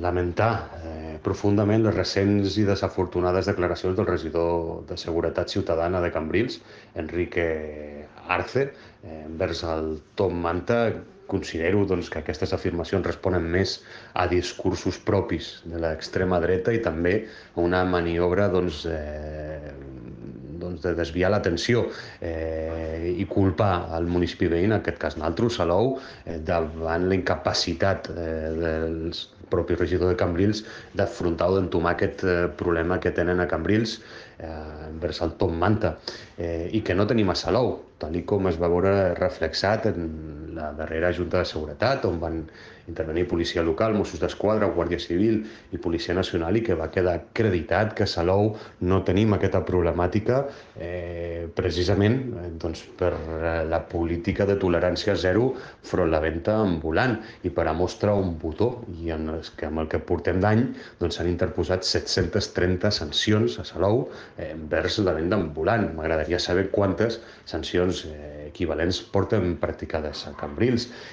lamentar profundament les recents i desafortunades declaracions del regidor de Seguretat Ciutadana de Cambrils, Enrique Arce, envers el Tom Manta. Considero que aquestes afirmacions responen més a discursos propis de l'extrema dreta i també a una maniobra de desviar l'atenció i culpar el municipi veí, en aquest cas naltros, Salou, davant la incapacitat del propi regidor de Cambrils d'afrontar o d'entomar aquest problema que tenen a Cambrils envers el Tom Manta i que no tenim a Salou, tal com es va veure reflexat en la darrera Junta de Seguretat, on van intervenir policia local, Mossos d'Esquadra, Guàrdia Civil i Policia Nacional, i que va quedar acreditat que a Salou no tenim aquesta problemàtica precisament per la política de tolerància zero front la venda ambulant, i per a mostra un botó, i amb el que portem d'any s'han interposat 730 sancions a Salou envers la venda ambulant. M'agradaria saber quantes sancions equivalents porten practicades a Cambrils.